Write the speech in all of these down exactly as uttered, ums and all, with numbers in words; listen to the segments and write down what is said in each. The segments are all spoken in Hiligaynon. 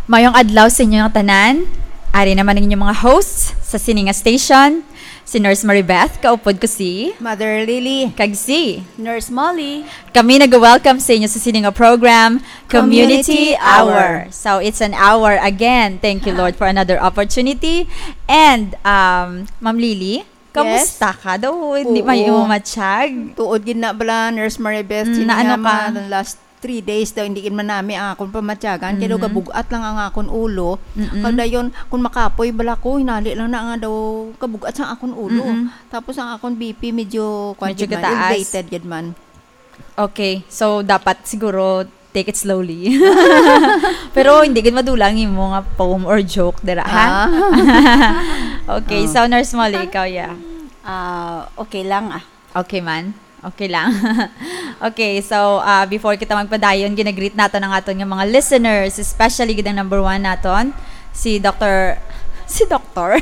Mayong adlaw sa inyo nga tanan. Ari naman ang inyong mga hosts sa sini nga station, si Nurse Maribeth, kaupod ko si Mother Lily. Kag si Nurse Molly. Kami nag-welcome sa inyo sa sini nga program, Community Community Hour. Hour. So, it's an hour again. Thank you, Lord, for another opportunity. And, um, Ma'am Lily, Yes. Kamusta ka daw? Hindi Oo. May imo matsyag? Tuod gid na bala, Nurse Maribeth, Mm, sini na ano nga ka? Mga last three days daw, hindi gid man nami ang akong pamatyagan. Kay daw Mhm. Gabugat lang ang akong ulo. Mm-mm. Pag dayon, kung makapoy bala ko, hinali lang na nga daw gabugat sa akong ulo. Mm-mm. Tapos ang akong B P medyo, kwan Medyo gid man, kataas. Elevated gid man. Okay. So, dapat siguro take it slowly. Pero hindi gid madula ang imo nga poem or joke dira, ha? Ah. Okay, Oh. So, Nurse Molly, ikaw, yeah. Ah, okay lang, ah. Okay man. Okay lang. Okay, so, ah, before kita magpadayon, ginagreet nato ang aton nga mga listeners, especially gid ang number one naton, si Doctor, si Doctor,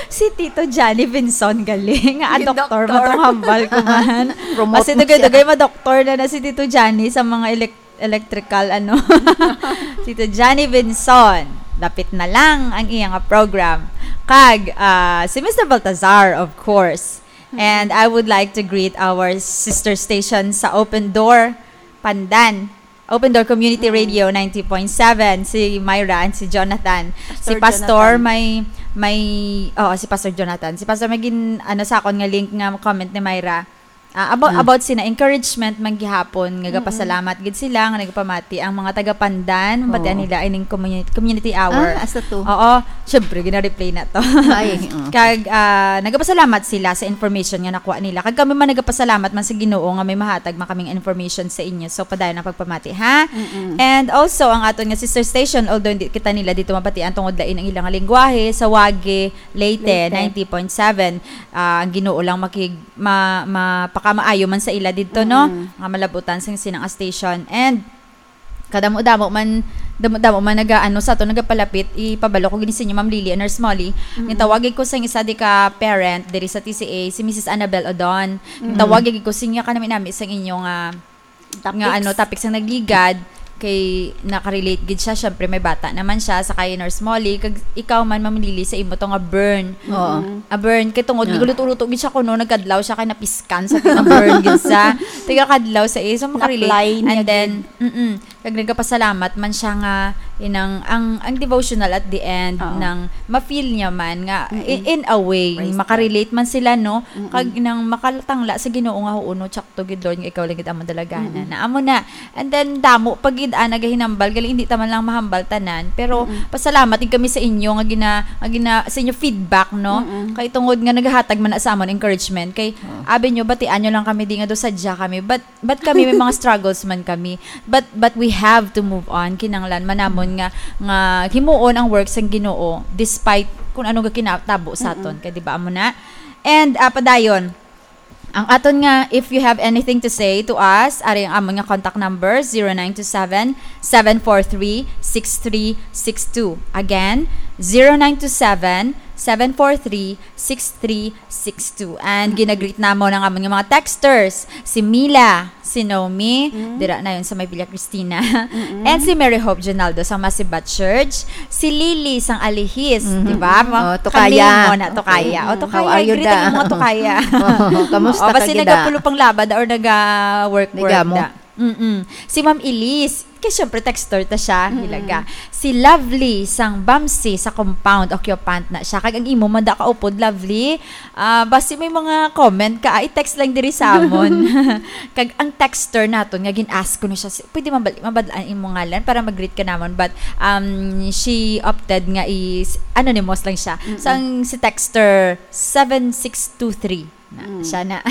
si Tito Johnny Vinson gali. Nga, ah, Yung doktor, doktor. Matong hambal ko man. Promote Kasi mo siya. Dugay-dugay madoktor na na si Tito Johnny sa mga elek-, electrical, ano. Si Tito Johnny Vinson, dapit na lang ang iya nga program. Kag, ah, si Mister Baltazar, of course. Mm. And I would like to greet our sister station sa Open Door, Pandan. Open Door Community Mm. Radio ninety point seven, si Myra and si Jonathan. Si Pastor Pastor Jonathan. May, may, oo, si Pastor Jonathan. Si Pastor may gin-, ano, sa akon nga link nga comment ni Myra. Ah, about, Ah. about sina encouragement man gihapon, nga Mm-mm. gapasalamat gid sila nga nagapamati ang mga taga Pandan, batian Oo. nila ining communi-, community hour. Ah, asa to? Oo, syempre, gina-replay na to. Ay, oo. Kag, ah, nagapasalamat sila sa information nga nakuha nila. Kag kami man nagapasalamat man sa Ginoo nga may mahatag man kaming information sa inyo. So, padayon ang pagpamati, ha? Mm-mm. And also, ang aton nga sister station, although hindi kita nila dito mabatian tungod lain ang ilang lingwahe, sa Wage, Leyte, Leyte. Ninety point seven, ah, ang Ginoo lang makig-, ma-, mapakamaayo man sa ila dito, no? Mm. Nga malabutan sa sinang station. And kadamo-damo man, damo-damo man naga-, ano, sa ato nagapalapit, ipabalo ko gid sa inyo, Ma'am Lily and Nurse Molly. Mm. Nitawag ko sa isa di ka parent diri sa T C A, si Missus Annabel Odon. Mm. Nitawag ko sa inyo, kanami-nami sa inyo nga, Topics. nga, ano, topic sa nagligad, kay nakarelate gid siya. Syempre, may bata naman siya, sa kay Nurse Molly, kag ikaw man, Ma'am Lily, sa imo to nga burn. Oo. Mm. A burn, kay tungod, Oo. nagluto-luto gid siya kuno, nagkadlaw siya, kay napiskan sa nga burn gid sa, tigakadlaw sa iya. So, makarelate. Na-apply niya And then, gid. Mm-mm. Kag nagapasalamat man siya nga inang, ang, ang devotional at the end Oo. nang ma-feel niya man nga Mm-mm. i-, in a way, Praise God. makarelate man sila, no? Mm-mm. Kag inang makatangla sa Ginoo nga, "Oo, no, tsakto gid, Lord, nga ikaw lang gid ang madalaganan." Mm-mm. Na amo na. And then, damo pa gid, ah, nagahinambal. Gali, hindi ta man lang mahambal tanan. Pero, Mm-mm. pasalamat din kami sa inyo nga gina-, nga gina-, sa inyo feedback, no? Mm-mm. Kay tungod nga naghatag man na sa amon encouragement. Kay, Oo. abi nyo, batian nyo lang kami, di nga daw sadya kami. But, But kami may mga struggles man kami. But, but we have to move on. Kinahanglan man namon nga, nga himuon ang work sang Ginoo despite kung ano nga kinatabo sa aton. Mm-mm. Kay, di ba, amo na? And, ah, padayon, ang aton nga, if you have anything to say to us, ari ang amon nga contact number, zero nine two seven, seven four three, six three six two. Again, zero nine two seven, seven four three, six three six two. And Mm-mm. ginagreet namon ang amon nga mga texters, si Mila, si Naomi, Mm. dira na yun sa may Villa Cristina, Mm-mm. and si Mary Hope Jonaldo sa Masibat Church, si Lily sang Alihis, Mm-hmm. di ba? Ma-, Oh, Tokaya. Kami mo na, Tokaya. Okay. O, Tokaya, How are you, greet ang da? Mga Tokaya. Oh, kamusta O, basi ka, gida? Nagapulupang labad or naga-work-work Nagamo. da. Mm-mm. Si Ma'am Elise, kay syempre texter ta siya, Mm-mm. hilaga. Si Lovely sang Bamsi sa compound, occupant na siya. Kag ang imo man da kaupod, Lovely. Ah, basi may mga comment ka, ah, i-text lang diri sa amon. Kag ang texter naton nga gin-ask ko na siya, si-, pwede mabal-, mabadlaan imo ngalan para mag-greet ka namon. But, um, she opted nga is anonymous lang siya. Mm-mm. Sang si texter seven six two three. Na, Mm. siya na.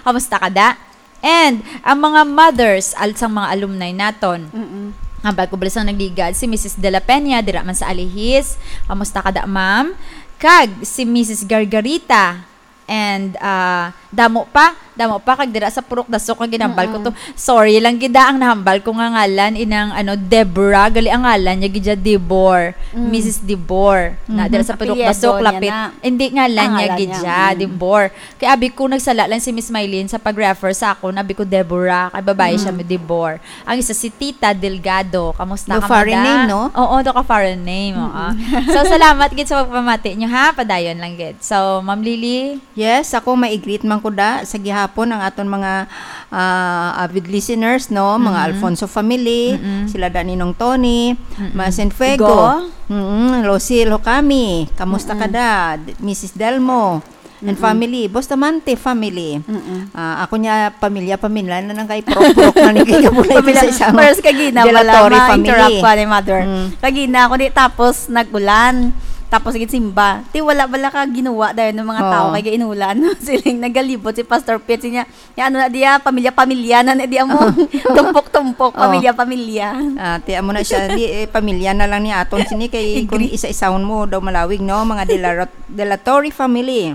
Kamusta ka, da? And ang mga mothers, al-, sang mga alumni naton. Mm-mm. Hambal ko bala sang nagligad, si Missus De La Peña, dira man sa Alihis. Kamusta ka, da, ma'am? Kag si Missus Gargarita and, ah, Damo pa, damo pa, kag dira sa Purok Dasok nga ginambal ko to. Mm-mm. Sorry lang gid, ah, ang nahambal ko nga ngalan, inang, ano, Deborah, gali ang ngalan niya gid siya, Debor, Mm. Missus Debor. Na, Mhm. dira sa Purok Apelyido Dasok, niya lapit. na. Hindi, ngalan Ang niya ngalan gid niya, siya, mm. Debor. Kay abi ko, nagsala lang si Miss Mylene sa pag-refer sa akon, abi ko, Deborah, kay babae siya, Mm. Debor. Ang isa si Tita Delgado. Kamusta No ka, foreign madam? name, no? Oo, do ka foreign name, oo. Mm-mm. So, salamat gid sa pagpamati niyo, ha? Padayon lang gid. So, Ma'am Lily? Yes, ako mai-greet man ko da sa gihapon ang aton mga, ah, avid listeners, no? Mga Mm-mm. Alfonso family, Mm-mm. sila da Ninong Tony, Mm-mm. Masin Fuego, Igo. Mm-mm, Lucille Hokami, kamusta ka Mm-mm. da? D-, Missus Delmo, and Mm-mm. family, Bustamante family. Mm-mm. Ah, ako niya, pamilya, pamilya na lang kay purok-purok na ni kay kabulay Pamilya, sa isang pares kagina, wala, Delatory ma-interrupt family. ko ni mother. Mm. Kagina, ako di, tapos nag-ulan. Tapos gid simba. Ti, wala bala ka ginuwa dahil ng mga Oo. tao kay ginulan. Siling nagalibot si Pastor Pete, siya, ya, ano na diya, pamilya-pamilya na na diya mo. Oo. Tumpok-tumpok, Oo. pamilya-pamilya. Ah, ti, amo na siya, di, eh, pamilya na lang ni aton sini kay kung Agree. isa-isahon mo daw malawig, no? Mga Delarot-, Delatory family.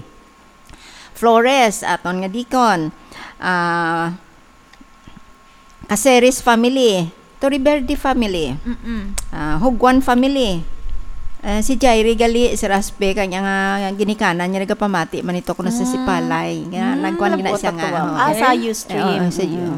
Flores, aton nga deacon. Ah, Caceres family. Torreverde family. Mm-mm. Ah, Hugwan family. Ah, si Jairi gali, si Raspe, kanya nga ginikanan niya nagapamati man ito kuno sa Ah. Sipalay. Nga, Mm, nagkuhan gina siya nga, nagbuot oh. Ah, sa Eh? Ustream. Oo, sa Mm. iyo.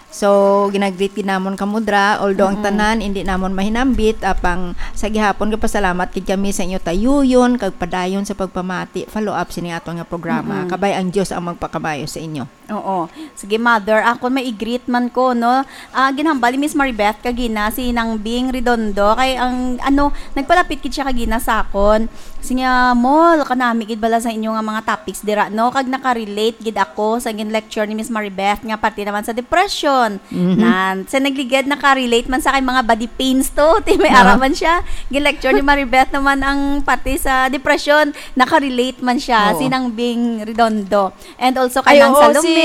So, ginagreet gid namon kamo dra, although ang Mm-mm. tanan hindi namon mahinambit, apang sa gihapon gapasalamat gid kami sa inyo tayuyon kag padayon sa pagpamati, follow up sini aton nga programa. Mm-mm. Kabay ang Dios ang magpakamayo sa inyo. Oo. Sige, mother, ako mai-greet man ko, no? Ah, ginhambal ni Miss Maribeth kagina si Nang Bing Redondo kay ang, ano, nagpalapit gid siya kagina sa akon. Siya, "Mol, kanami gid bala sa inyo nga mga topics dira, no? Kag nakarelate gid ako sa gin-lecture ni Miss Maribeth nga parte naman sa depression." Mhm. Nan, sa nagligad, nakarelate man sa kay mga body pains to. Ti may Ah. ara man siya. Gin-lecture ni Maribeth naman ang parte sa depression. Nakarelate man siya. Oo. Si Nang Bing Redondo. And also kay Ay, Nang oo, Salome. Si,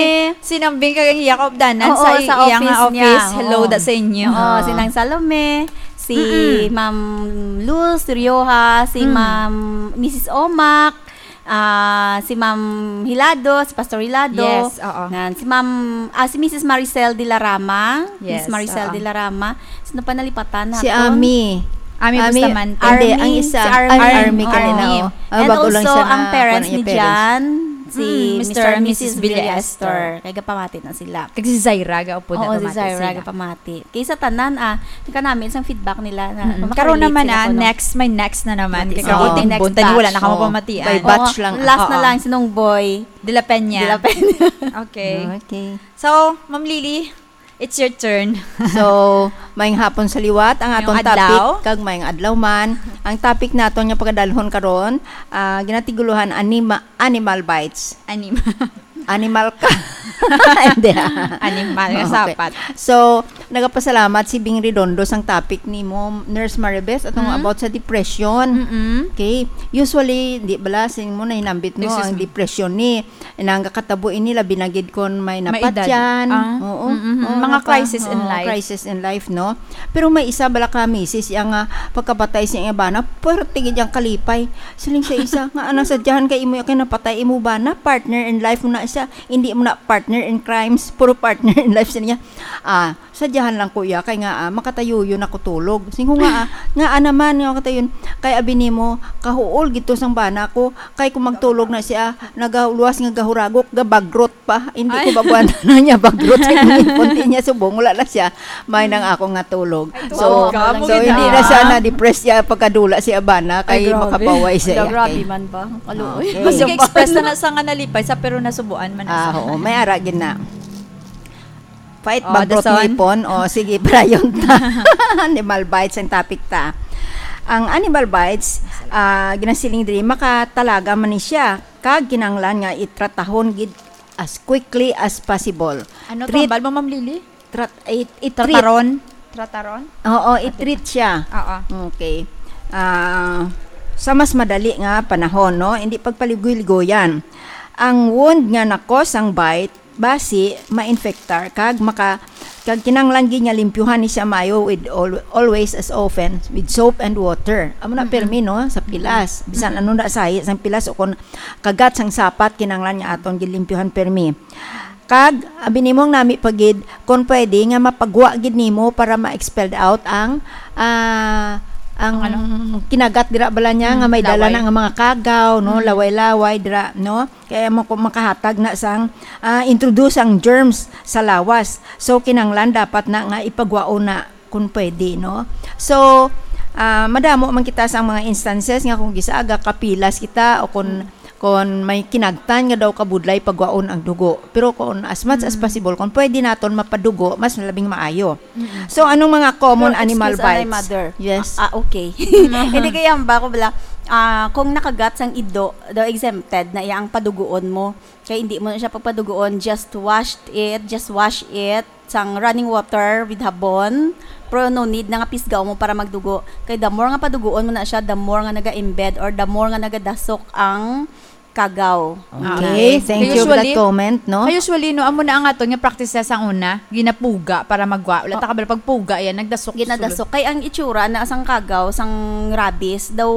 si Nang Bing kag iya kaupdanan Oo, sa sa iya nga office niya. office. Hello Oo. da sa inyo. Oo, Oo. si Nang Salome, si Mm-mm. Ma'am Luz Rioja, si Mm. Ma'am, Missus Omac, ah, si Ma'am Hilado, si Pastor Hilado. Yes, oo. Nan, si Ma'am, ah, si Missus Maricel de la Rama. Yes, Miss Maricel oo. de la Rama. Sino pa nalipatan Si naton? Ami. Ami Ami, Bustamante. hindi, ang Army, isa. si Army. Ay, Army Army. kanina, oh. Ah, And bago lang also, siya ang na, parents kuwan ni niya parents. Jan, si Mm, Mister Mister and Missus Missus Villa Villa Esther. Esther. Kay gapamati na sila. Kag si Zaira, gaupod na Oo, si pamati Zaira, sila. gapamati. Kay sa tanan, ah, kanami isang feedback nila na Mm-mm. makarelate Karon naman, sila ah, kuno. next, may next na naman. Next. Kay Oo. karon Next timbon, tani wala na batch. kamo Oo. pamatian. By batch Oo. lang. Last na Oo. lang, si Nong Boy De La Peña. De La Peña. Okay. Okay. So, Ma'am Lily, it's your turn. So, maayong hapon sa liwat. Ang Maayong aton topic, adlaw. kag maayong adlaw man. Ang topic naton nga pagadalhon karon, ah, ginatigulohan anima-, animal bites. Anima. Animal ka. Hindi, ah. Animal nga Okay. sapat. So, nagapasalamat si Bing Redondo sang topic nimo, Nurse Maribeth, atong Mm. about sa depression. Mm-mm. Okay. Usually, di bala, sin mo nahinambit mo Excuse ang me. depression ni Nangakatabo ini labi na gid kon may May edad. napatyan. Ah. Oo. Mm-mm. Oo, Mga napa-, crisis in oo, life. crisis in life, no? Pero may isa bala ka misis iya nga pagkapatay sa iya bana, puwerte gid ang kalipay. Siling sa isa, nga, "Ano, sadyahan kay imo kay napatay imo bana, partner in life mo na siya, hindi mo na partner in crimes, puro partner in life," siya niya. Ah, Sadyahan lang ko iya, kay nga, ah, makatayuyon ako tulog. Sing ko nga, ah, nga, ah, naman, nga makatayuyon. Kay abi nimo, kahuol gid to sang bana ko. Kay kung magtulog na siya, nagaluwas nga gahuragok, gabagrot pa. Hindi ko Ay. baguan na niya, bagrot sa imong ipon. Di niya subong, wala na siya. May nang ako nga tulog. Ay, So, tulog ka, so, hindi na siya ah. na-depress siya pagkadula siya bana, Ay, kay grabe. makabaway siya Ay, iya, grabe kay man ba? Alo, Okay. Mas sige, express na na sa nga nalipay sa, pero nasubuan man na Ah, sa. oo, may ara gid na. Pait Oh, ba, the growth son? ngipon? O, sige, brayon ta. Animal bites ang topic ta. Ang animal bites, ah, ginasiling diri, makatalaga man ni siya. Kag kinahanglan nga itratahon gid as quickly as possible. Ano to, Treat, ambal mo, Ma'am Lily? trat-, i-, i-treat. Trataron? Trataron? Oo, i-treat siya. Oo. Okay. Ah, sa mas madali nga panahon, no? Hindi pagpaligoy-ligoyan. Ang wound nga nakos ang bite, basi ma-infectar kag maka-, Kag kinahanglan gid nga limpyuhan ni siya maayo with al-, always, as often, with soap and water. Amo na, Mm-mm. permi, no, sa pilas. Bisan Mm-mm. ano na sahi sang pilas o kon kagat sang sapat, kinahanglan nga aton gid limpyuhan permi. Kag abi nimo ang nami pa gid, kon pwede nga mapagwa gid nimo para ma-expelled out ang, ah, ang Ang ano? kinagat dira bala niya nga Mm, may dala laway. na nga mga kagaw, no, Mm. laway-laway dira, no? Kaya mo ko makahatag na sang, ah, introduce ang germs sa lawas. So, kinahanglan dapat na nga ipagwaon na kung pwede, no? So, ah, madamo man kita sa mga instances nga kung gisaaga, kapilas kita o kung, Mm. kung may kinagtan nga daw kabudlay pagwaon ang dugo. Pero kung as much as Mm. possible, kung pwede naton mapadugo, mas labing maayo. Mm. So, anong mga common Pero, animal excuse, anay, bites? mother. Yes. Ah, ah, okay. Hindi kaya ba ako bala, ah, kung nakagat sang ido, daw exempted na iya ang paduguon mo. Kaya hindi mo na siya pagpaduguon, just wash it, just wash it sang running water with habon. Pero no need na nga pisgaon mo para magdugo. Kay the more nga paduguon mo na siya, the more nga naga-embed or the more nga nagadasok ang kagaw. Okay, Ah. thank Kay you for that usually, comment, no? kay usually, no, amo na ang aton nga practice sa una, ginapuga para magwa. Wala ta Oh. kabalo pagpuga yan, nagdasok. Ginadasok. Kay ang itsura na sang kagaw, sang rabies, daw,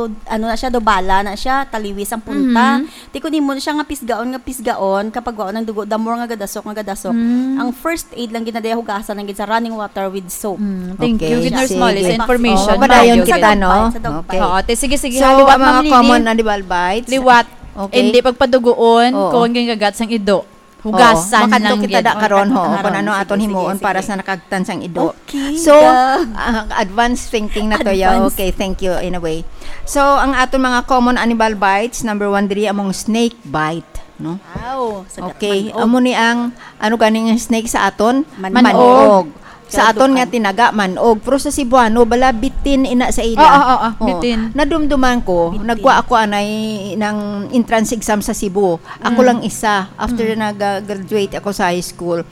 ano na siya, daw bala na siya, taliwis ang punta. Mhm. Ti kun imo na siya nga pisgaon, nga pisgaon, kapag wa nang dugo, the more nga gadasok, nga gadasok. Mm. Ang first aid lang gid na diya, hugasan lang gid sa running water with soap. Mm, thank Okay, you, Gid Nurse sige. Molly, sa Yes. information. Oh, padayon Maayo kita, gid. no? Sa dog bite. Okay. Oo, te, sige, sige. So, Ha, liwat, ang mga Ma'am Lily. common animal bites, Liwat. okay. Hindi pagpaduguon, Oo. kung ginagat sang ido. Oo. Hugasan Makadto lang kita gid. da karon, ho, Karon, kung ano sige, aton sige, himuon para sige. sa nakagtan sang ido. Okay, So, da. ah, advance thinking na to, ya. Advance. Okay, thank you, in a way. So, ang aton mga common animal bites, number one diri among snake bite, no? Wow, sa Okay, manok. amo ni ang, ano ganing snake sa aton? Manok. Manok. Sa Kaya aton nga dukan. tinaga, manog. Pero sa Cebuano, bala, bitin ina sa ila. Oo, oo, oo, Oh, bitin. Nadumduman ko, Bitin. nagwa ako anay ng entrance exam sa Cebu. Ako Mm. lang isa, after Mm. nag-graduate ako sa high school.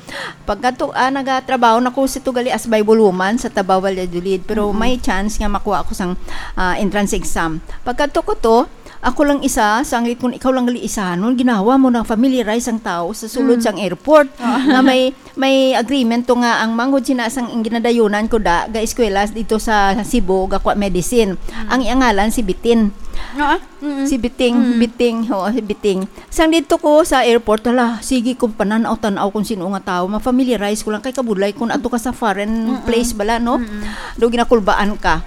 Pagkadto, ah, nagatrabaho na ko sa tugali as Bible woman sa Tabaw, Valladolid. Pero Mm-mm. may chance nga makuha ako sang, ah, entrance exam. Pagkadto ko to, ako lang isa, sanglit kun ikaw lang gali isa, nun ginawa mo na familiarize ang tao sa sulod Mm. sang airport. Oo. Nga may, may agreement to nga ang manghod sina sang ginadayunan ko da, ga eskwela dito sa Cebu, ga kwa medicine. Mm. Ang iyangalan si Bitin. Oo. Mm. Si Biting, Mm. Biting, oo, si Biting. Sang dito ko sa airport, hala, sige ko pananaw-tanaw kung sino nga tao. Ma-familiarize ko lang kay kabudlay kung ato ka sa foreign Mm-mm. place bala, no? Mm-mm. Do ginakulbaan ka.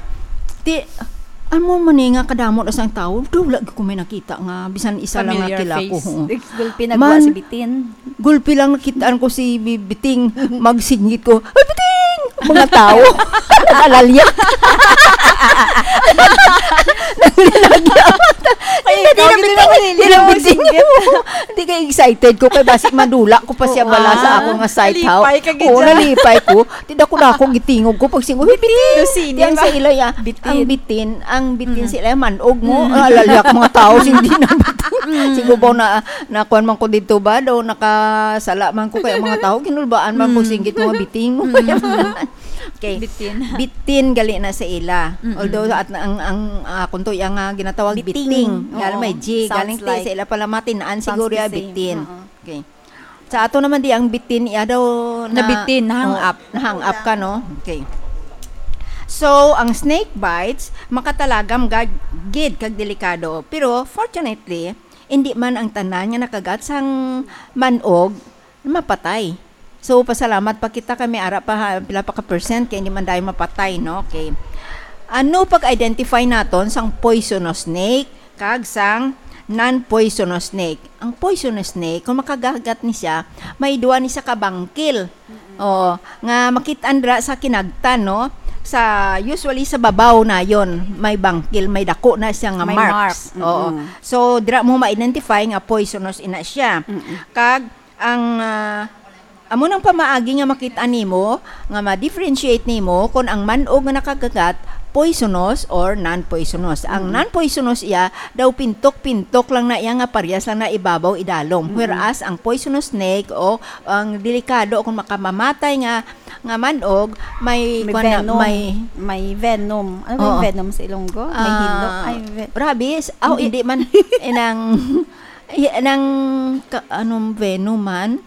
Ti, amo man ni nga kadamo na sang tao, do wala gyud ko may nakita nga bisan isa lang nga Familiar kilala ko, face. oo. Gulpi na Man, gwa si Bitin. Gulpi lang nakitaan ko si Bi-, Biting magsinggit ko, "Ay, Biting!" Mga tao. Nag-alalya. Naglalagya. Ay, Hindi, ikaw, di na hindi Biting. naman, hindi Di na naman Biting. singgit. Hindi kay excited ko kay basi madula ko pa siya Oo. bala sa Ah, ako nga site, ha? nalipay ka gid Oo, dyan. nalipay ko. Ti dako na ako gitingog ko pag singgit, "Uy, Bitin!" Lucini Yan ba? sa ila, ya. Bitin. Ang bitin, ang bitin Mm. sila, manog mo. Mm. Ah, lalyak mga tao, hindi na bitin. Mm. Siguro ba na, nakuan man ko dito ba? Daw nakasala man ko kaya mga tao, ginulbaan man ko Mm. singgit mga biting. Mm. Okay. Bitin. Bitin gali na sa ila. Mm-mm. Although at ang, ang, ah, kung to, yung, ah, ginatawag Biting. biting. Nga Oo. may G, Sounds galing ti like sa ila pala matinaan Sounds siguro the ya same. bitin. Oo. Okay. Sa ato naman di ang bitin, iya daw na, Nabitin, nahang oh, up. nahang up ka, no? Okay. So, ang snake bites, makatalagam gag-, gid kag delikado. Pero, fortunately, hindi man ang tanan nga nakagat sang manog mapatay. So, pasalamat pa kita kay may ara pa, ha, pila pa ka percent kay hindi man dahil mapatay, no? Okay. Ano pag-identify naton sang poisonous snake kag sang non-poisonous snake? Ang poisonous snake, kung makagagat ni siya, may duwa ni siya ka bangkil. Mm-mm. Oo, nga makit-an dira sa kinagtan, no? Sa, usually sa babaw na yon, may bangkil, may dako na siya nga May marks. mark. Oo. Mm-mm. So, dira mo ma-identify nga poisonous ina siya. Mm-mm. Kag ang, ah, amo nang pamaagi nga makit-an nimo, nga ma-differentiate nimo kon ang manog nga nakagagat poisonous or non-poisonous. Ang Mm. non-poisonous iya daw pintok-pintok lang na iya nga parehas lang na ibabaw idalom. Mm. Whereas ang poisonous snake o ang delikado kung makamamatay nga, nga manog, may May kuwan na, venom. may May venom. Ano ba yung Oo. venom sa Ilonggo? May Ah, hilo? Ay, ve- rabies? Ah, Hindi. hindi man. Inang, y-, nang, ka-, anong venom man?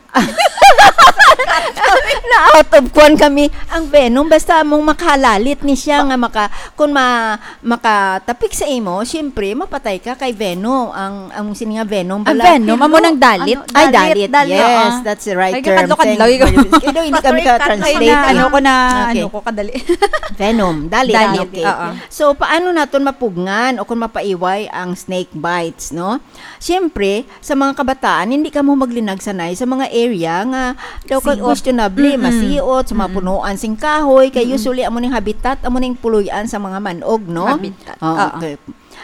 Na out of kuan kami. Ang venom, basta mong makahalalit ni siya nga maka-, kung ma-, makatapik sa imo, siyempre, mapatay ka kay venom. Ang, ang sini nga venom Ang pala. venom, amo nang dalit. Ano, Ay, dalit, dalit. dalit, Yes, oo. that's the right Ay, term. kakadlok-kadlok, Thank ikaw. you. Kaya daw hindi kami Pastor, ka-translate, Ay, na, eh. ano ko na, Okay. ano ko, kadali. Venom, dalit. Dalit, Okay. oo. So, paano naton mapugngan o kung mapaiway ang snake bites, no? Siyempre, sa mga kabataan, hindi kamo maglinag sanay sa mga area nga daw ka Siot. questionable, Mm-mm. masiot, sa mga Mm-mm. punuan sing kahoy, kay Mm-mm. usually amo ning habitat, amo ning puloy-an sa mga manog, no? Habitat. Oh, Oo. okay.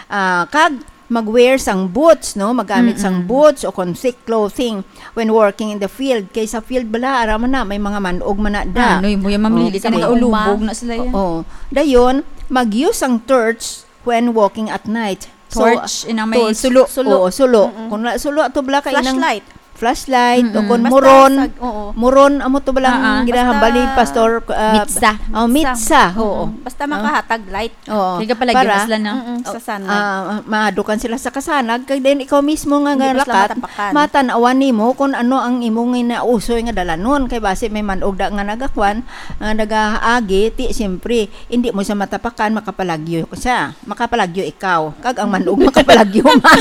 Ah, kag mag-wear sang boots, no? Magamit sang Mm-mm. boots o kon thick clothing when working in the field. Kay sa field bala, ara man na, may mga manog man na da. Ah, no, mo yung mamlili Oh, ka, sa mga nagaulubog uma. na sila yan. Oo. Dayon, mag-use ang torch when walking at night. So, Torch, inang may tor-, sulo. sulo. Oo, sulo. Mm-mm. Kung na, sulo, ato bala ka inang Flashlight. flashlight, o Mm-mm. kung Basta muron, sag-, oo. muron, amo to bala ang Ah, ah. ginahambal ni Basta Pastor, ah, Mitsa. oh, Mitsa. mitsa, oo. Mm-mm. Basta Ah. makahatag light. Oo. Kaya palagi Para, mas lang, no? Mm-mm, sa Oh, sanag. ah, madukan sila sa kasanag, kag then ikaw mismo nga Hindi mo sila nalakat, matapakan. matan-awan nimo kung ano ang imong inausoy nga dalanon. Kay basi may manog da nga nagakwan, nga nagaagi, ti, siyempre, hindi mo siya matapakan, makapalagyo siya. Makapalagyo ikaw. Kag ang manog, makapalagyo man.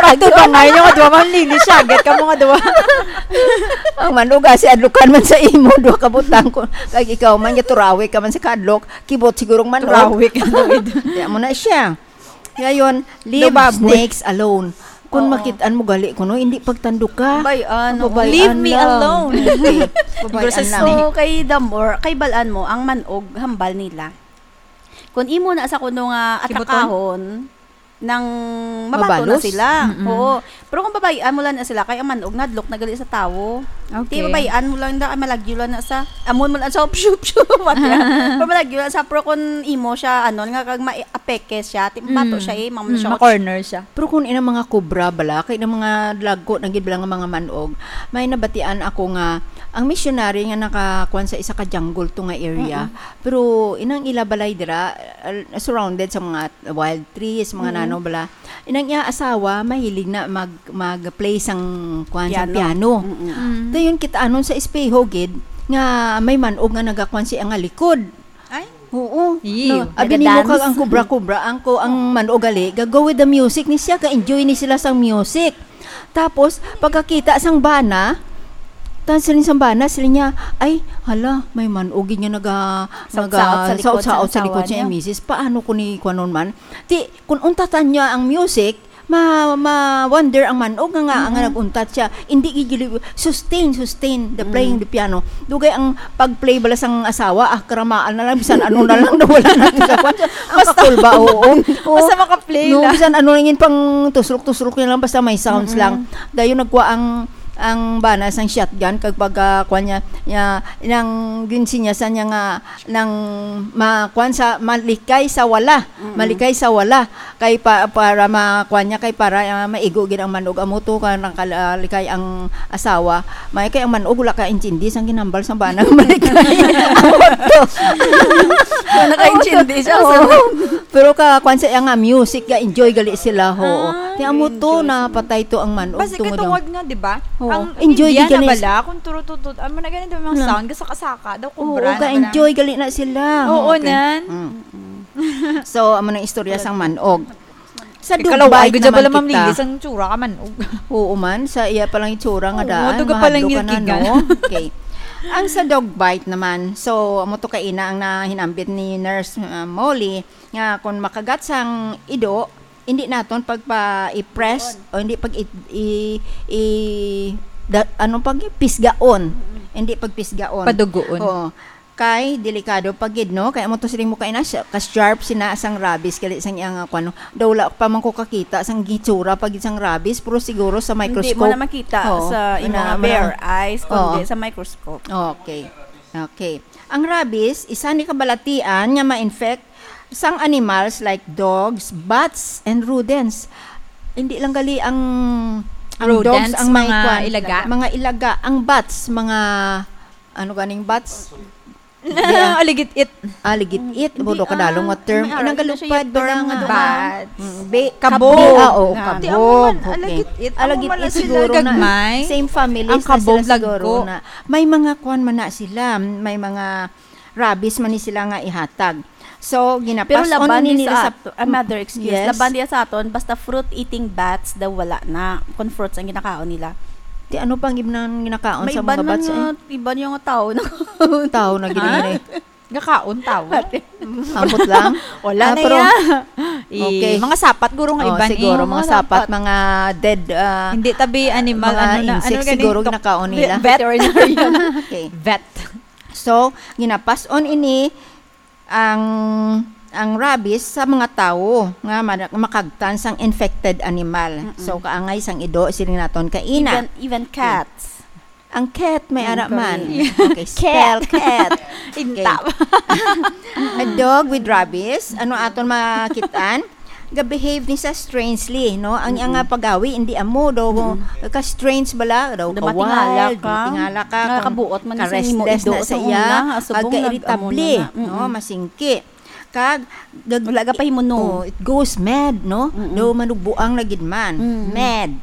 Ito ba nga yun, nga duwa, Ma'am Lily, siya, get ka mo nga duwa. Ang manog, ah, si adlukan man sa imo, duwa ka butang ko. Kag ikaw man, nga turawi ka man sa kadlok, kibot sigurong manog. Turawi ka, Lord. Kaya mo na siya. Ngayon, leave Lubab. snakes alone. Kung Oo. makitaan mo gali ko, no, hindi pagtandok ka. Bay, ano, Babayaan Leave me lang. alone. Okay. Babayaan Siguro sa lang. So, kay the more, kay balaan mo, ang manog, hambal nila. Kung imo na sa kuno nga Kibuton? atakahon, nang mabato na Mabalos? sila. Mm-mm. Oo. Pero kung babayaan mo lang na sila, kay ang manog, nadlok na gali sa tawo. Okay. Di babayaan mo lang na, malagyo lang na sa, amon mo lang sa, pshu, pshu, what, yeah. Pero malagyo lang sa, pero kung imo siya, ano, nga kag ma-, apeke siya, ti mabato Mm. siya eh, mamo Mm, siya, ma-corner siya. Pero kung inang mga kobra bala, kay inang mga dagko na gid bala nga mga manog, may nabatian ako nga ang missionary nga nakakuan sa isa ka jungle to nga area, Mm-mm. pero inang ila balay dira, uh, surrounded sa mga wild trees, mga Mm-mm. nano bala. Inang iya asawa mahilig na mag, mag-play sang kuan sang Piano. piano. Mm-mm. Mm. Dayon kita anon sa espeho gid nga may manog nga nagakuan sa iya nga likod. Ay? Oo. Ew. No, abi nimo Nagdadance. kag ang kobra-kobra, ang ko, ang manog gali, ga-go with the music ni siya, ka-enjoy ni sila sang music. Tapos, pagkakita sang bana, tan siling sang bana, siling niya, "Ay, hala, may manog nga naga-, Saot-saot naga-, sa likod sa saot-saot sa likod asawa siya, niya. misis. Paano ko ni kuanon man?" Ti, kung untatan niya ang music, ma-, ma-wonder ang manog nga, nga, nga Mm-mm. nag-untat siya. Hindi gigili-, sustain, sustain the playing Mm. the piano. Dugay ang pag-play bala sang asawa, ah, karamaan na lang, bisan ano na lang, nawala na sa kwan. Ang Basta, kakul ba, oo. Oo. basta makaplay No, lang. bisan ano lang yun, pang tuslok-tuslok niya lang, basta may sounds Mm-mm. lang. Dayon nagkuha ang, ang bana sang shotgun, kag pag, ah, kwan niya, niya, nang ginsinyasan niya nga, nang ma-, kwan sa, malikay sa wala. Mm-mm. Malikay sa wala. Kay pa, para ma-, kwan niya, kay para, ah, maigo gid ang manog. Amo to, ka nang kal-, ah, likay ang asawa. May kay ang manog, wala ka intindi sang ginhambal sang bana nga malikay. Amo to. Wala ka intindi siya, Oo. sa Pero ka, kwan sa iya nga music, ga-enjoy gali sila, ho. Ah, Kaya amo to, enjoy sila. napatay to ang manog, Basi tungod katungod lang. nga, di ba? Oo. Ang Enjoy Indian gid na gali bala, kung turututut, ano na ganito yung mga No. sound, gasaka-saka daw, Oo, kubra na bala. ga-enjoy gali na sila. Oo, Okay. nan. Mm. So, amo nang istorya sang manog. Sa Ikaw, Dubai ay, gudya naman pala, Ma'am kita. Lilis, ang tsura ka manog. Oo man, sa iya palang itsura nga Oo, daan, duga pala mahadlok ka na, ngilkigan. no? Okay. Ang sa dog bite naman, so, amo to kaina ang nahinambit ni Nurse, uh, Molly, nga kung makagat sang ido, hindi naton pagpa-i-press o hindi pag i, i, i, da, ano pag pisgaon. Mm. Hindi pagpisgaon. Padugoon. Oo. Kay delikado pa gid, no? Kay amo to siling mo kay na siya, ka-sharp sina sang rabies, gali sang iya nga kuwan, no? Daw wala pa man ko kakita sang gitsura pa gid sang rabies, pero siguro sa Hindi mo microscope. na makita Oo. sa Ano, imong ano. bare eyes, kundi Oo. sa microscope. Okay. Okay. Ang rabies, isa ni kabalatian nga ma-infect sang animals like dogs, bats, and rodents. Hindi lang gali ang, ang Rodents, dogs ang may mga kwan. ilaga. Mga ilaga. Ang bats, mga, ano ganing bats? Aligit-it. Aligit-it, hindi, budo ka dalong nga term. Inang galupad ba nga term nga bad? Bad. Mm, be-, kabog. Ah, oo, kabog. Di, amo man, okay. Aligit-it. Amo man sila siguro na gagmay. Same family na sila siguro na. May mga kwan man na sila, may mga rabies man ni sila nga ihatag. So, ginapas-on ni nila sa ato-, ah, mother, excuse. Yes. Laban diya sa aton, basta fruit-eating bats daw wala na. Kung fruits ang ginakaon nila. Di ano pang ibang ginakaon sa mga bats, eh? May iban man nga, iban yung tao na. Tao na gid. Ha? Gakaon tao. Ambot lang? Wala na iya. Okay. Mga sapat, guro nga iban, siguro, mga sapat, mga dead, ah, hindi tabi animal, mga ano na, insects ano gani? Siguro ginakaon nila. Veterinarian. Okay. Vet. So, ginapas-on ini ang, ang rabies sa mga tawo nga ma-, makagtan sang infected animal. Mm-mm. So, kaangay sang ido, siling naton, kaina. Even, even cats. Ang cat may ara man. Okay, spell cat. Intaw. A dog with rabies, ano aton makit-an? Ga-behave ni sa strangely, no? Ang iyang nga paggawi, hindi amo daw, ka-strange bala, daw ka-wild, matingala ka. Nakakabuot man sa imo ido sa una, subong nag-amo na. Ka-irritable, no? Masingki. Kag, gag-, wala ka pa himuno. Oh, it goes mad, no? Daw manugbuang na gid man. Mad.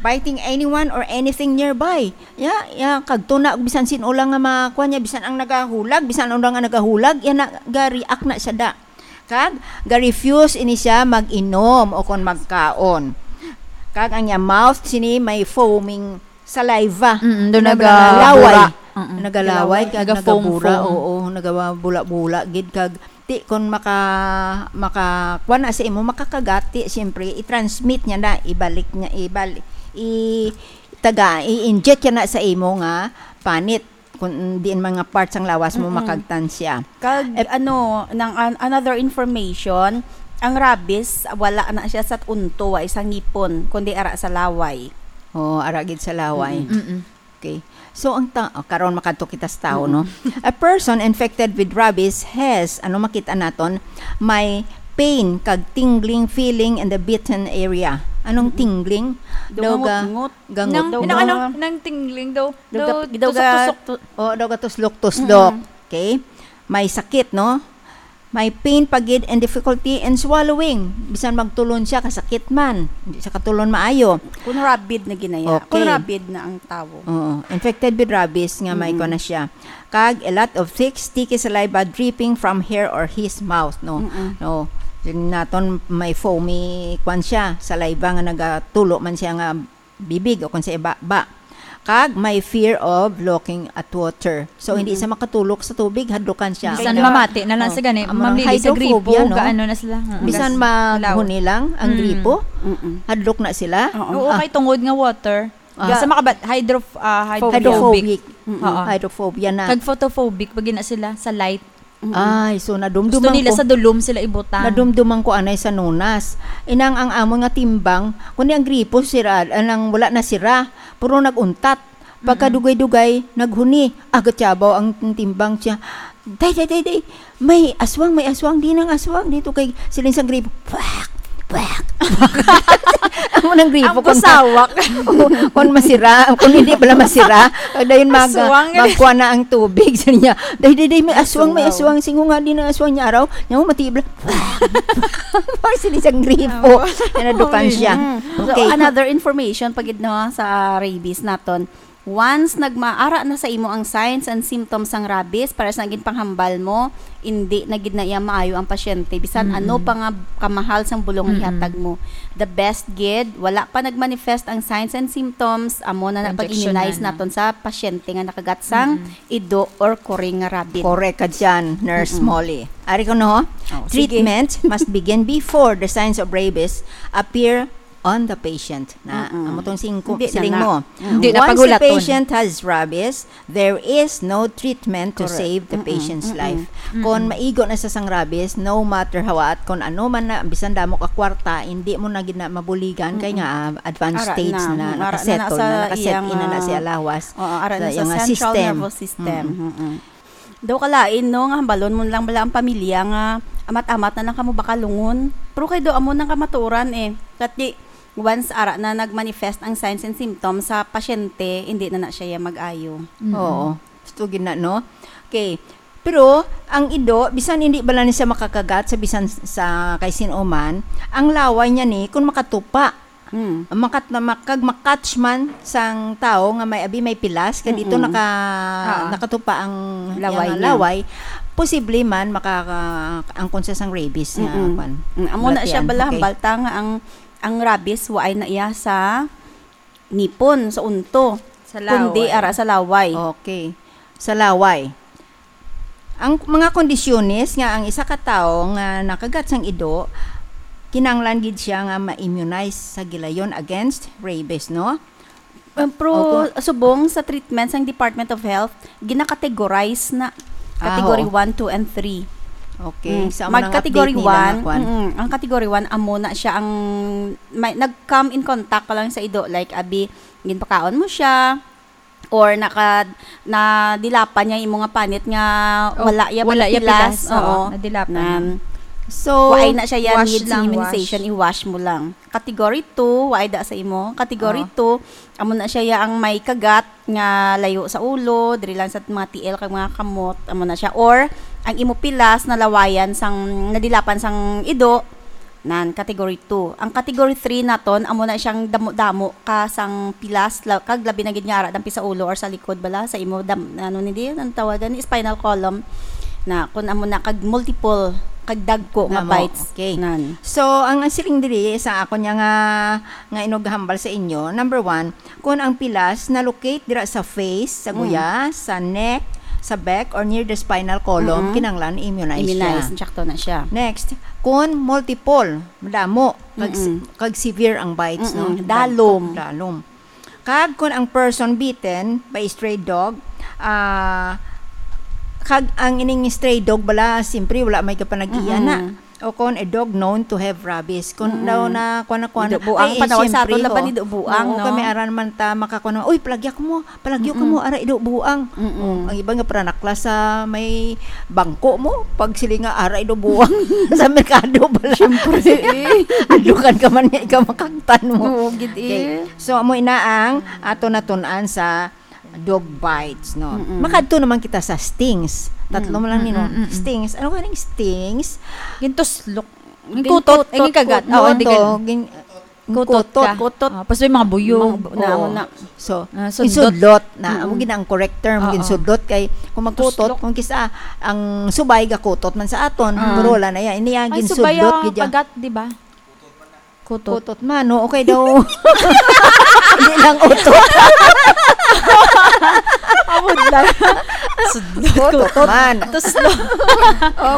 Biting anyone or anything nearby. Ya, ya, kag tuna, bisan sin-o lang nga makuha niya, bisan ang nagahulag, bisan ang nga nagahulag, ya na, ga-react na siya da. Kag, ga-refuse ini siya mag-inom o kon magkaon. Kag ang iya mouth sini may foaming saliva. Mm, doon nagalaway. Nagalaway, kag nagabura, oo, nagabula-bula gid, kag ti kon maka-, makakuha na sa imo, makakagati, siyempre, i-transmit niya na, ibalik niya, ibal-, i-, taga, i-inject niya na sa imo nga panit, kung diin man nga part sang lawas mo, makagtan siya. Kag, ano, nang an-, another information, ang rabies, wala na siya sa unto, wa sa ngipon, kundi ara sa laway. Oo, ara gid sa laway. Mm-mm. Okay. So, ang ta-, oh, karon makadto kita sa tao, no? A person infected with rabies has, ano makita naton, may pain kag tingling feeling in the bitten area. Anong tingling? Daw gangot-ngot. Gangot. Nang, nang ano, nang tingling daw, daw tusok-tusok. Oh, daw gatuslok-tuslok. Okay? May sakit, no? May pain pa gid and difficulty in swallowing. Bisan magtulon siya, kasakit man. Hindi siya katulon maayo. Kung rabid na ginaya. Okay. Kung rabid na ang tawo. Oo. Infected with rabies nga may kuwan na siya. Kag a lot of thick, sticky saliva dripping from her or his mouth, no? No. Yung naton may foamy, kwan siya, saliva nga nagatulo man siya nga bibig o kung sa iba, ba. Kag may fear of looking at water. So, hindi siya makatulok sa tubig, hadlukan siya. Bisan mamati na lang sa gani, amo nang mamili sa gripo, hydrophobia, no? Gaano na sila? Mm. Bisan maghuni lang ang gripo, hadlok na sila. Oo, kay tungod nga water. Ah. Sa makabat-, hydro-, ah, hydrophobic. Hydrophobic. Mm-mm. Oo. Hydrophobia na. Kag photophobic, pag na sila sa light. Mm-mm. Ay, so nadumduman ko. Gusto nila sa dulom sila ibutang. Nadumduman ko anay sa nunas. Inang ang amon nga timbang, kundi ang gripo sira, anang wala na sira, puro nag-untat. Pagkadugay-dugay, naghuni. Aga tiyabaw ang timbang siya. Day, day, day, day. May aswang, may aswang. Di nang aswang. Dito kay siling sang gripo. Pwak! Pwak! Amo nang gripo. Ang busawak. Kung masira, kung hindi pala masira, dayon mag-, magkuha na ang tubig sa niya. Day, day, day, may aswang, may aswang. Singo nga din ang aswang niya araw. Niya mo matibla. Pag siling sang gripo. Nadukan siya. Mm. So, okay. Another information, pagid, no, sa rabies naton. Once nagmaara na sa imo ang signs and symptoms sang rabies, para sa ginpanghambal mo, indi na gid na iya maayo ang pasyente, bisan ano pa nga kamahal sang bulong nga ihatag mo. The best gid, wala pa nagmanifest ang signs and symptoms, amo na na pag-immunize naton sa pasyente nga nakagat sang ido or kuri nga rabies. Correct ka dyan, Nurse Molly. Ari ko, no? Oh, sige. Treatment must begin before the signs of rabies appear on the patient. Na, amo tong singko-, siling mo. Hindi na pagulaton. Once the patient has rabies, there is no treatment to save the patient's life. Kon maigo na sa sang rabies, no matter how, at kon ano man na, bisan damo ka kwarta, hindi mo na gid na mabuligan kay nga, ah, advanced stage na, nakaset in na, nakaset in na na siya lawas sa iyang system. Central nervous system. Daw kalain, no, nga hambalon mo lang bala ang pamilya nga amat-amat na lang kamo bakalungon. Pero kay daw amo nang kamatuoran, eh. Kati, once ara na nagmanifest ang signs and symptoms sa pasyente, hindi na na siya mag-ayo. Oo. Gusto gid na, no? Okay. Pero ang ido, bisan hindi bala ni siya makakagat sa bisan sa kay sin-o man, ang laway niya ni kung makatupa. Hmm. Makat-, na mak-, kag makatch man sang tawo nga may abi may pilas, kag dito Mm-mm. naka-, Ah. nakatupa ang Laway iyang niya. laway, posible man maka-, angkon siya sang rabies nga Mm-mm. kwan. Mm, amo na siya Balatian. bala, Okay. hambal ta nga ang, ang rabies waay na iya sa ngipon, sa unto, Sa kundi laway. ara sa laway. Okay. Sa laway. Ang mga kondisyones nga ang isa ka tawo nga nakagat sang ido, kinahanglan gid siya nga ma-immunize sa gilayon against rabies, no? Um, pero Opo. subong sa treatment sang Department of Health, gina-categorize na Ah, category oo. one, two, and three. Okay, Mm. sa mga Mag-category update nila nga one, kwan. mm, ang category one, amo na siya ang may, nag-come in contact ka lang sa ido, like, abi, ginpakaon mo siya, or naka-, nadilapan niya imo nga panit nga Oh, wala iya wala iya pilas. pilas. Oo, Oo. nadilapan Nan. niya. So, Waay na siya yan, wash need lang, immunization, wash. i-wash mo lang. Category two, waay da sa imo. Category Oo. two, amo na siya ya ang may kagat nga layo sa ulo, diri lang sa mga tiil kag mga kamot, amo na siya. Or, ang imo pilas nalawayan sang, nadilapan sang ido, nan, category two. Ang category three naton, amo na siyang damo-damo ka sang pilas, la-, kag labi na gid nga ara dampi sa ulo or sa likod bala, sa imo dam-, ano ni di, ang tawagan ni spinal column, na kun amo na kag multiple, kag dagko nga Namo, bites. okay. Nan. So, ang, ang siling diri sa ako niya nga, nga inughambal sa inyo, number one, kun ang pilas na-locate dira sa face, sa Mm. guya, sa neck, sa back, or near the spinal column, Mm-mm. kinahanglan i-immunize Immunize, siya. sakto na siya. Next, kun multiple, madamo, kag, Mm-mm. kag severe ang bites, no? Mm-mm, Dag-, dalom. dalom. Kag kun ang person bitten by a stray dog, ah, kag ang ining stray dog bala, siyempre, wala may kapanag-iya na. Mm-mm. O kon a dog known to have rabies. Kun Mm-mm. daw na, kuwan na, kuwan na. Ido buang, Ay, panawag sa aton siyempre, laban, ho. ido buang, Oo, no? kami aran man ta makakuwan na, "Uy, palagya ko mo, palagyo ka Mm-mm. mo, ara ido buang." Mm-mm. Oh, ang iba nga pananaklas sa may bangko mo, pag sila nga ara ido buang sa merkado bala. Siyempre, eh. Adukan ka man niya, ikaw makangtan mo. Oo, gid, Okay. eh. So, amo ina ang ato natun-an sa dog bites, no? Mm-mm. Makadto naman kita sa stings. Tatlo Mm, man lang ni, no? mm, mm, mm. Stings. Ano kaning stings? Gintuslok. Ginkutot. Ginkutot, Ay, ginkagat. kutot, Oo, hindi no? ka- Gin-, Kutot kutot. ka. Kutot. Ah, tapos may mga buyog. Mga bu-, na, Oo. na. So, Ah, sudlot. ginsudlot na. Oo. Amo gid ang correct term, Oo. ginsudlot kay kung magkutot, Tuslok. kung kisa ang subay gakutot man sa aton, Ah. pero wala na yan. Ini ang Ang ginsudlot subay, ah, gid yan. kagat, di ba? Kutot. Kutot man, no? Okay daw. Hindi lang utot. Amod lang. Sudlot. Kutot man. Tuslo.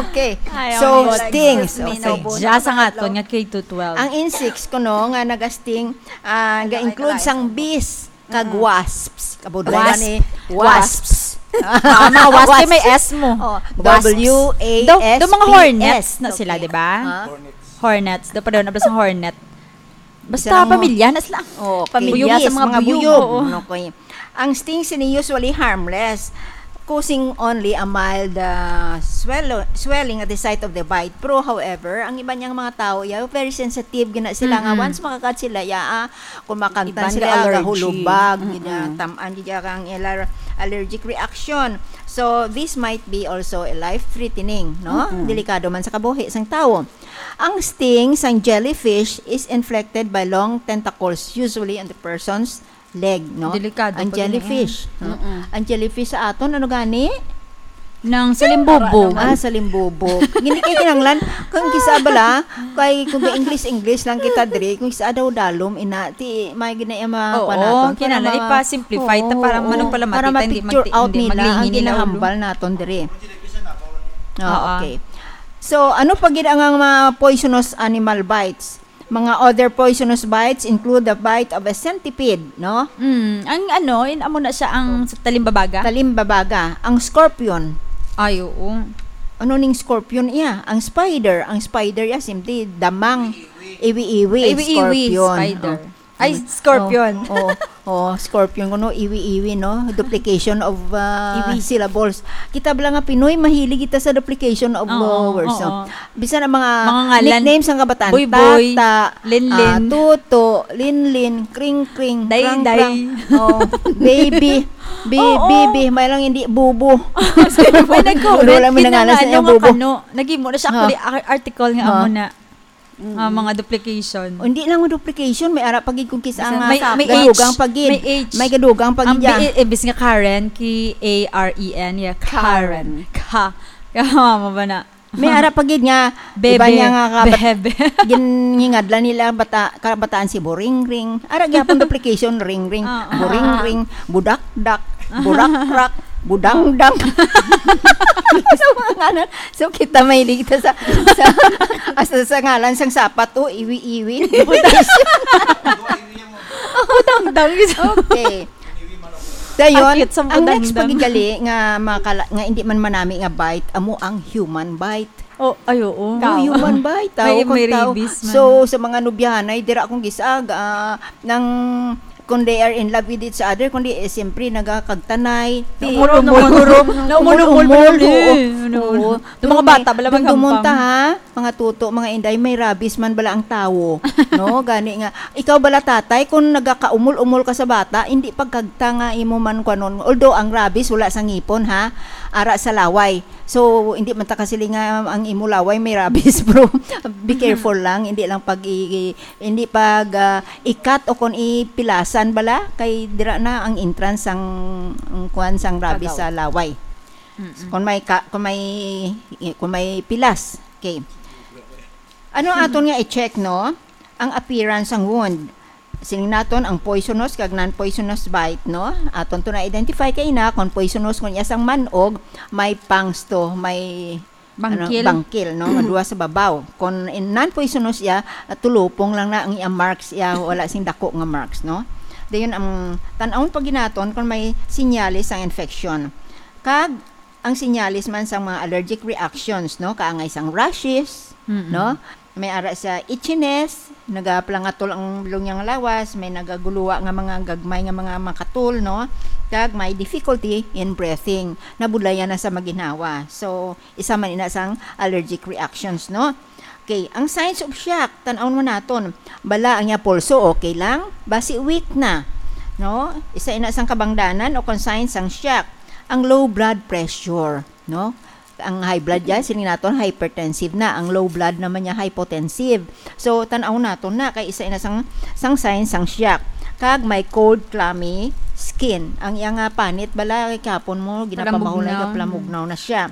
Okay. Ayaw So, mo. stings. Excuse me, Okay. no, Diya sa nga aton nga K to twelve. Ang insects kuno nga nagasting, ah, Ano, ga-include ay, sang bees, kag Mm. wasps. Kabudlayan Wasp. ni Wasps. wasps. Ah, mga wasp, Wasps. may S mo. Oh, Wasps. W A S P S. Do, do mga hornets na sila, Okay. di ba? Ha? Hornets. Hornets. Do pa daw na ba sa hornet? Basta Silang pamilya na sila. Oh, okay. Buyog Yes, sa mga mga buyog. buyog. Oo. Okay. Ang stings ini usually harmless, causing only a mild, ah, swello-, swelling at the site of the bite. Pero, however, ang iba niyang mga tao, ya, very sensitive gina sila nga Mm-mm. once makagat sila, ya, ah, kung makangtan Iban sila, ga allergy. gahulubag, Mm-mm. gina-, tam-an gid ya ang ilar-, allergic reaction. So, this might be also a life-threatening, no? Mm-mm. Delikado man sa kabuhi sang tawo. Ang sting sang jellyfish is inflected by long tentacles, usually on the person's leg, no? Delikado Ang pa gid, jellyfish, eh. no? Mm-mm. Ang jellyfish sa aton, ano gani? Nang salimbubog. Ah, salimbubog. Hindi kay kinahanglan, kung kisa bala, kay kung English, English lang kita diri, kung kisa daw dalom, ina, ti, may gina-, yung mga Oo, kuwan naton, para kinahanglan ma-, ipa-simplify ta, oo, para oo, manong pala para makita, hindi ma-picture magti-, out hindi nila ang maglingin nila ulo. ginahambal naton diri. Ah, Oo. okay. So, ano pa gid ang, ang mga poisonous animal bites? Mga other poisonous bites include the bite of a centipede, no? Mm, ang ano, in, amo na siya ang sa talimbabaga? Talimbabaga, ang scorpion. Ay, oo. Ano ning scorpion iya? Ang spider, ang spider iya, simple, damang iwi-iwi, Iwi-iwi, scorpion. spider. Oh. Ay, scorpion. Oh, oh, oh, scorpion kuno, iwi-iwi, no? Duplication of, uh, Iwi. syllables. Kita bala nga Pinoy, mahilig kita sa duplication of, Oo, uh, words, no? oo. Bisan ang mga Mga ngalan. nicknames sang kabataan, Boy, boy, Tata, Linlin. ah, Tuto, Linlin, Kring Kring, Day, Krang Day. Krang, oh, Baby. Bi-, Oo. Bibi, may lang hindi bubo. May nag-comment, Wala may nangalan sa kinangano iyang nga bubo. Kano. Nagimo na siya, Ha? Actually, ar-, article nga Ha? Amo na. Mm. Ah, mga duplication. O, hindi lang mo duplication, may ara pa gid kung kisa Basta nga may, may gadugang H, pa gid. May H. May gadugang pa Ang gid, ya. B-, eh, bis nga Karen, K A R E N, yeah, Karen. Karen. Ka. Kaya mama ba na? May ara pa gid nga, Bebe. Iba niya nga kabat-, Bebe. Ginhingadlan nila bata-, kabataan si Boringring. Ara gyapon duplication, ringring, Ah, ah. Boringring, budakdak, burakrak, budangdang. So, mga ngalan. So, kita may ligta sa, sa, hasta sa ngalan sang sapat, oh, iwi-iwi. Duplication. Budangdang. Okay. Dayon, Akit sa ang next budangdang. Pagigali nga makala-, nga hindi man manami nga bite, amo ang human bite. Oh, ay, oo. Oh, human bite, tao May, kung may tao. Rabies man. So, sa mga nubyahanay, dira akong gisag, ah, nang, kung they are in love with each other, kundi, eh, siyempre, nagakagtanay. Naumul-umul. Naumul-umul. Naumul-umul, Naumul-umul, oo. eh. Ano, Oo. Yung mga bata, bala Dum-, dumunta, maghampang. Ha? Mga tuto, mga inday, may rabies man bala ang tawo, no? Gani nga, ikaw bala tatay, kung nagakaumol-umol ka sa bata, hindi pagkagta nga imo man kwanon. Although ang rabies wala sa ngipon, ha, ara sa laway. So, hindi man ta kasili nga ang imo laway may rabies, bro. Be careful lang, hindi lang pag i-, i-, hindi pag, ah, ikat o kung ipilasan bala, kay dira na ang entrance sang, ang kwan sang rabies Kagaw. Sa laway. Mm-mm. Kung may ka-, kung may, kung may pilas. Okay. Ano aton nga i-check, no? Ang appearance sang wound. Siling naton ang poisonous kag non-poisonous bite, no? Aton to na-identify kay na kung poisonous, kung iya sang manog, may pangs to, may, Bangkil. Ano, bangkil, no? Nga duha sa babaw. Kung in non-poisonous iya, ah, tulupong lang na ang iya marks iya, wala sing dako nga marks, no? Dayon ang tan-awon pa ginaton kung may sinyales sang infection. Kag ang sinyales man sang mga allergic reactions, no? Kaangay sang rashes, Mm-mm. no? May ara sa itchiness, nagapalangatol ang bilog niya nga lawas, may nagaguluwa nga mga gagmay nga mga makatul, no? Kag may difficulty in breathing, nabudlayan na sa maginhawa. So, isa man ina sang allergic reactions, no? Okay, ang signs of shock, tan-awon man naton. Bala ang iya pulso, okay lang? Basi weak na, no? Isa ina sang kabangdanan o kung signs sang shock. Ang low blood pressure, no? Ang high blood yan, siling naton, hypertensive na. Ang low blood naman niya, hypotensive. So, tan-aw naton na, kay isa ina sang, sang signs sang shock. Kag may cold, clammy skin. Ang iya nga panit, bala, kay kahapon mo, ginapamahulay, Palamugnaw. Kapalamugnaw na siya.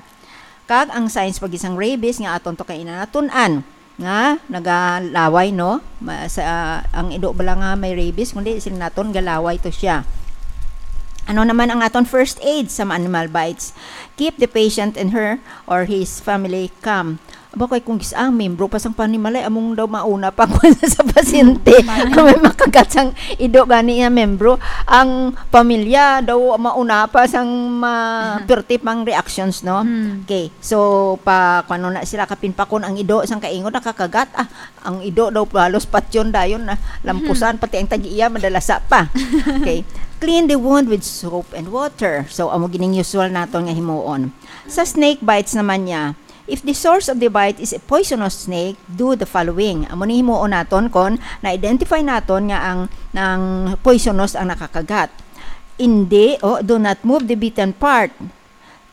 Kag ang signs pa gid sang rabies nga aton to kay inanatun-an nga nagalaway, no? Ma-, sa, ang ido bala nga may rabies, kundi siling naton galaway to siya. Ano naman ang aton first aid sa mga animal bites? Keep the patient and her or his family calm. Aba, kay kung gis-, ang membro pa sang panimalay, among daw mauna pa kung sa pasyente. Mm. Kung may makagat sang ido gani nga membro, ang pamilya daw mauna pa sang ma-, Mm. perti pang reactions, no? Mm. Okay. So, pa, kung ano na sila kapinpakon ang ido, sang kaingon nakakagat, ah, ang ido daw halos patyon dayon na lampusan, Mhm. pati ang tag-iya madalasa pa. Okay. Clean the wound with soap and water. So, amo gining usual naton nga himuon. Sa snake bites naman niya, if the source of the bite is a poisonous snake, do the following. Amo ni himuon naton kon na-identify naton nga ang, ang poisonous ang nakakagat. Hindi, o, do not move the bitten part.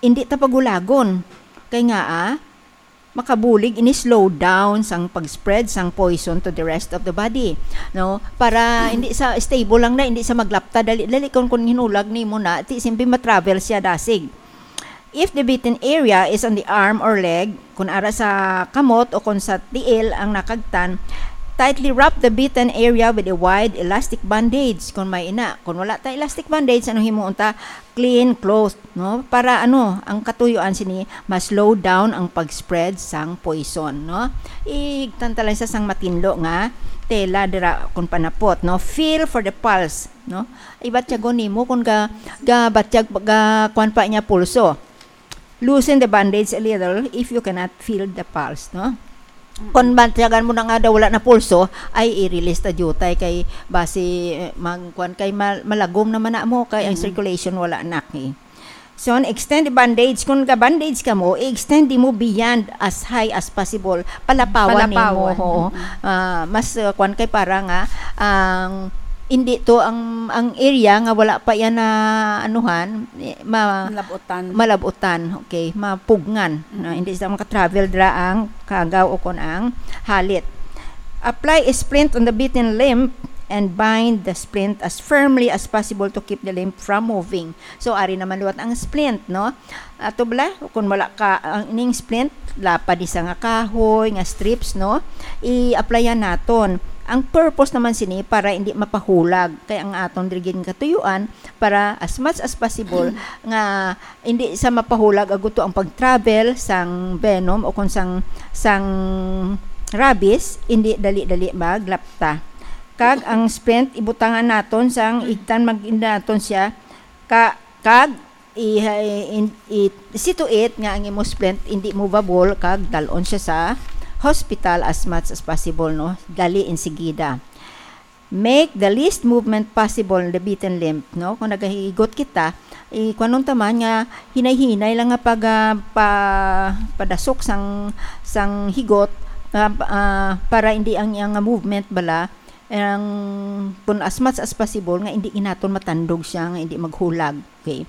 Hindi ta pagulagon. Kay nga, ah, makabulig ini slow down sang pag-spread sang poison to the rest of the body, no? Para hindi sa stable lang na, hindi sa maglapta dali-dali kung, kung hinulag nimo na, ti simple ma-travel siya dasig. If the bitten area is on the arm or leg, kung ara sa kamot o kung sa tiil ang nakagtan, tightly wrap the bitten area with a wide elastic bandage. Kung may ina, kung wala ta elastic bandage, ano himuon ta? Clean cloth, no? Para ano, ang katuyuan sini, ma-slow down ang pag-spread sang poison, no? Ihigtan ta lang sa sang matinlo nga tela dira kung panapot, no? Feel for the pulse, no? Ibatyagon nimo kung ga, ga batyag, ga kwan pa niya pulso. Loosen the bandage a little if you cannot feel the pulse, no? Mm. Kung batyagan mo na nga daw wala na pulso, ay i-release ta diutay kay basi, eh, mag-, kwan kay mal-, malagom naman na mo kay ang Mm. circulation wala na, eh. So, extend the bandage. Kung ga-bandage ka mo, i-extend mo beyond as high as possible. Palapawan nimo, Palapawan. Oo. Mm. Ah, mas, uh, kwan kay para nga ang Hindi to ang, ang area nga wala pa yan na anuhan, eh, ma-, Malabutan. Malabutan, okay, mapugngan. Na Mm. hindi sa maka-travel dira ang kagaw o kon ang halit. Apply a splint on the bitten limb and bind the splint as firmly as possible to keep the limb from moving. So, ari naman liwat ang splint, no? Ato bala, kung wala ka, ang ining splint, lapad ni sa nga kahoy, nga strips, no? I-applyan naton. Ang purpose naman sini para hindi mapahulag. Kay ang aton diri gid nga katuyuan, para as much as possible nga hindi sa mapahulag aguto ang pag-travel sang venom o kung sang, sang rabies, hindi dali-dali maglapta. Kag ang splint, ibutangan naton sang igtan, mag-, naton siya, ka, kag i-, i-, i-, see to it nga ang imo splint hindi movable kag dal-on siya sa hospital as much as possible, no? Dali, insigida. Make the least movement possible in the bitten limb, no? Kung nagahigot kita, i-, kuwanon ta man nga hinay-hinay lang nga pag, ah, pa-, padasok sang, sang higot, ah, pa-, ah, para hindi ang iyang nga movement bala, ang, kung as much as possible, nga hindi ginaton matandog siya, nga hindi maghulag. Okay.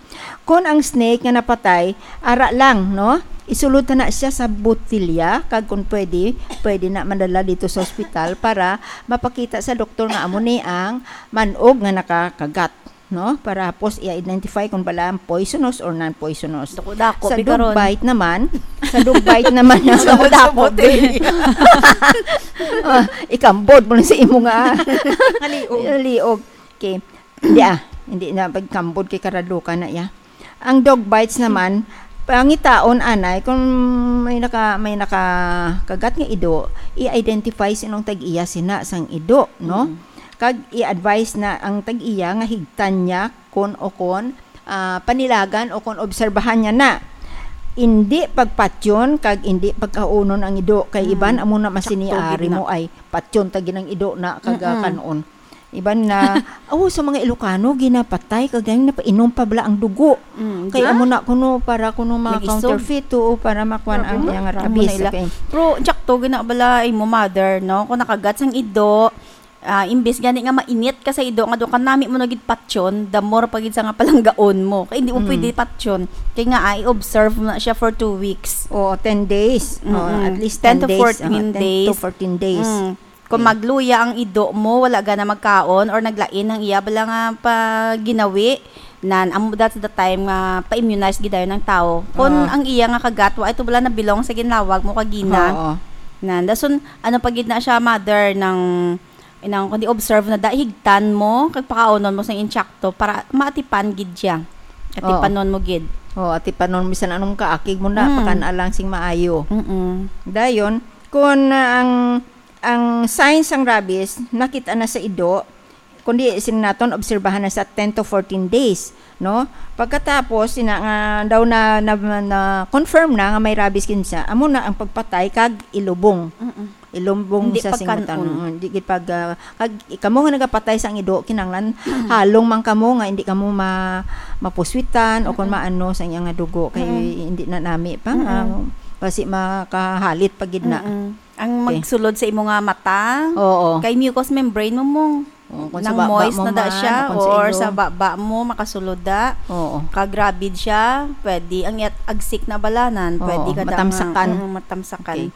Kon ang snake nga napatay, ara lang, no? Isulod ta na siya sa botilya, kag kung pwede, pwede na madala dito sa ospital para mapakita sa doktor nga amo ni ang manog nga nakakagat, no? Para hapos i-identify kung bala ang poisonous or non-poisonous. Dako-dako, Sa pi, dog karon. Bite naman, sa dog bite naman, Sa dako-dako, botilya. Ah, ikambod mo na sa imo nga Nga liog. Liog. Okay. Hindi, ah. Hindi na pagkambod kay karaduka na, ya. Ang dog bites naman, pangitaon anay kung may naka-, may nakakagat nga ido, i-identify sinong tag-iya sina sang ido, no? Mm. Kag i-advise na ang tag-iya nga higtan niya kon o kon, ah, panilagan o kon obserbahan niya na. Indi pagpatyon kag indi pagkaunon ang ido, kay Mm. iban amo na masini Sakto gid ari na. Mo ay patyon ta gid ang ido na kag, ah, Mm-mm. Kan-on. Iban na, oh, sa mga Ilocano, ginapatay, kag ang napainom pa bala ang dugo. Mm, Kay di ba? Amo na kuno, para kuno Nag-isog. Ma-counterfeit, oo, para makuan ang Grabe, iyang amo rabies, na ila. Okay. Pero, sakto, gina bala, imo mother, no? Kung nakagat sang ido, ah, imbis gani nga mainit ka sa ido, nga do ka nami mo na gid patyon, the more pa gid sa nga palanggaon mo. Kay hindi mo Mm. Pwede patyon. Kay nga, ah, i-observe mo na siya for two weeks. Oo, ten days. Oo, Mm-mm. At least Ten ten to days. Fourteen Oo, ten to days. Fourteen days. Mm. Kung Okay. Magluya ang ido mo, wala gana magkaon or naglain ang iya bala nga pa-, ginawi, nan, amo, that's the time nga pa-immunize gid dayon ang tawo. Kung Oo. Ang iya nga kagat, wa ito bala na-belong sa ginlawag mo kagina. Oo. Nan, dason, ano pa gid na siya, mother, nang, inang, kundi observe na da, higtan mo, kag pakaonon mo sang insakto para maatipan gid siya. Atipanon Oo. Mo gid. Oo, atipanon mo, bisan anong kaakig mo na, Mm. Pakan-a lang sing maayo. Mm-mm. Dayon, kung, ah, ang Ang signs sang rabies nakita na sa ido, kundi sini naton obserbahan na sa ten to fourteen days, no? Pagkatapos, ina nga daw na, na, na-confirm na nga may rabies kinsa, amo na ang pagpatay kag ilubong. Mm-mm. Ilubong Hindi sa pagkan-on. Singwatan. Mm, di gid pag, ah, kag kamo nga nagapatay sang ido, kinahanglan halong man kamo nga hindi kamo ma-, mapuswitan o kung Mm-mm. Maano sa iya nga dugo, kay Mm-mm. Hindi na nami pa nga, Mm-mm. Basi makahalit pa gid na. Mm-mm. Ang Okay. Magsulod sa imo nga mata, Oo. Kay mucous membrane mo, mo. Oo, kung sa Nang baba moist mo na da man, siya, o kung sa or ilo. Sa baba mo, makasulod da. Oo. Kag rabid siya, pwede. Ang iyat-, agsik na balanan, Oo, pwede ka da nga, matamsakan. Mm, matamsakan. Okay.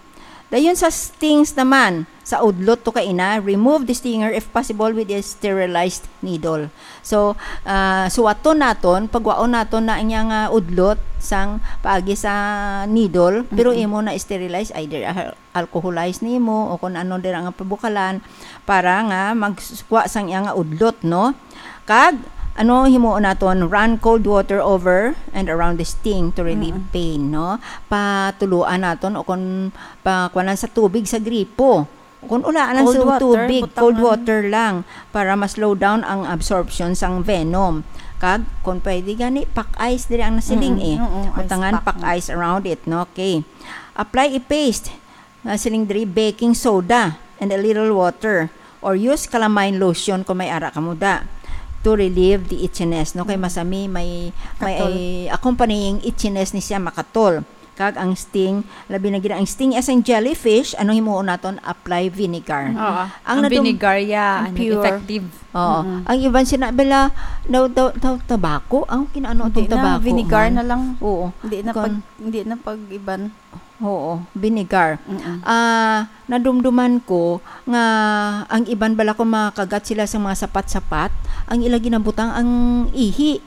Dayon sa stings naman, sa udlot to kaina, remove the stinger if possible with a sterilized needle. So, ah, suwaton naton, pagwaon naton na ang iyang, ah, udlot sang paagi sa needle, pero Mm-mm. Imo na sterilize either a alcoholize nimo o kung ano dira nga pabukalan para nga magkuha sang iya nga udlot, no? Kag, ano, himuon naton, run cold water over and around the sting to relieve Mm. Pain, no? Patuluan naton o kung pakuanan sa tubig sa gripo. Kung ulaan lang Cold sa water, tubig, butangan. Cold water lang para ma-slow down ang absorption sang venom. Kag, kung pwede gani, pack ice diri ang nasiling Mm-mm, eh. Oo, ice Butangan, pack. Pack ice around it, no? Okay. Apply a paste. Nga siling diri, baking soda and a little water, or use calamine lotion kung may ara kamo da, to relieve the itchiness, no? Kay Mm. Masami may, may Katol. Accompanying itchiness ni siya, makatol. Kag ang sting, labi na gid ang sting as ang jellyfish, anong himuon naton? Apply vinegar. Oo. Ang Ang nadum- vinegar, yeah, ang ano, pure. effective. Oo. Mm-mm. Ang iban sina bala, daw, daw, daw, tabako? Ang kinaano Hindi itong na, tabako? vinegar man? na lang. Oo. Hindi na Kon- pag hindi na pag-iban. Oo, vinegar. Mm-mm. Ah, nadumduman ko nga ang iban bala kung makagat sila sa mga sapat-sapat, ang ila ginabutang ang ihi.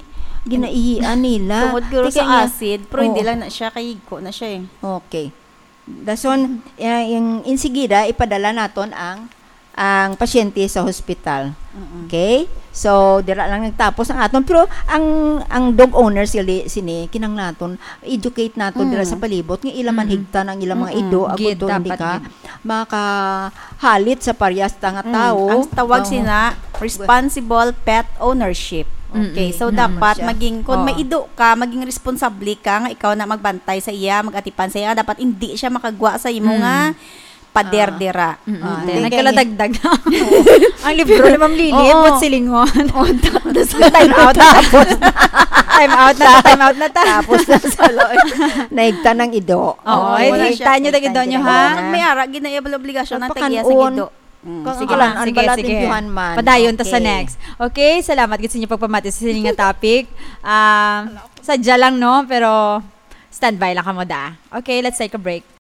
Ginaihian nila. Tungod guro Teka sa niya, acid, pero hindi oo. lang na siya kay ko na siya eh. Okay. Dason, eh, yung insigida, ipadala naton ang ang pasyente sa hospital. Mm-mm. Okay? So, dira lang nagtapos ang aton. Pero ang ang dog owners, gali, sini, kinang naton, educate naton dira Mm. sa palibot, nga ila man Mm-mm. higtan ang ilang mga Mm-mm. ido, agud Gid, to hindi dapat ka gid. makahalit sa paryas ta nga Mm. tawo. Ang tawag Oo. sina responsible pet ownership. Okay, Mm-mm. so Mm-mm. dapat Siya. maging, kung Oo. may ido ka, maging responsable ka nga ikaw na magbantay sa iya, magatipan sa iya, dapat hindi siya makagwa sa imo Mm. nga pader Ah. dira. Mm-mm. Ah, Te, thank you. Nagkaladagdag. Ang libro ni Ma'am Lily, Oo. Buot Silingon. Oh, that, that's Time out na. Time out na, time out na ta. Tapos na sa naigtan ng ido. Oo, Oo, eh, wala di, siya. tayo tayo doon nyo, ha? Kung may ara, gid na iya obligasyon na tagiya sa Pagpakaon. gido. Mm. Kang Sige kalan, lang. ang Sige, balat sige. Yung Juan man. Padayon ta sa Okay. Next. Okay, salamat gid sa inyo pagpamati sa sining nga topic. Ah, sadya lang, no? Pero standby lang kamo da. Okay, let's take a break.